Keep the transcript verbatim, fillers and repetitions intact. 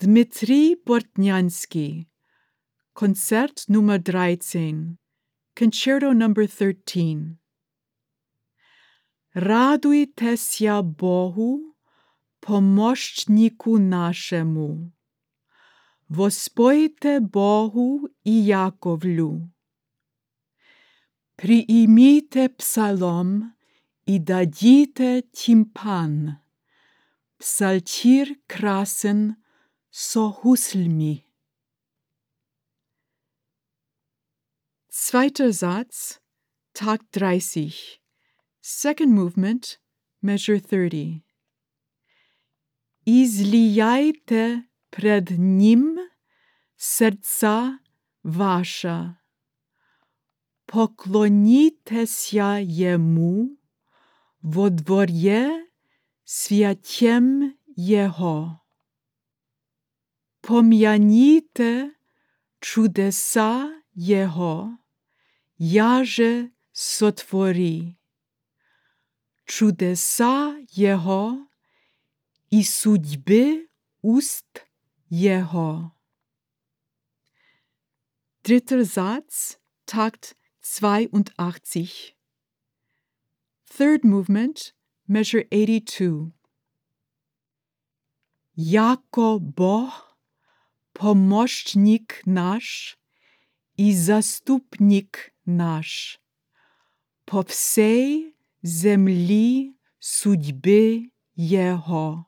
Dmitrij Bortnyansky, Koncert Nummer dreizehn, Concerto number thirteen. Радуйтеся Богу, помощнику нашему. Воспойте Богу и Яковлю. Приимите псалом и дадите тимпан, псалтирь красен со гусльми. Zweiter Satz, Takt dreißig. Second movement, measure thirty. Излияйте пред Ним сердца ваша. Поклонитеся Ему во дворе святем Его. Помяните чудеса Его, яже сотвори. Чудеса Его и судьбы уст Его. Dritter Satz, Takt zweiundachtzig. Third movement, measure eighty-two. Яко Бог, помощник наш и заступник наш, по всей земли судьбы Его.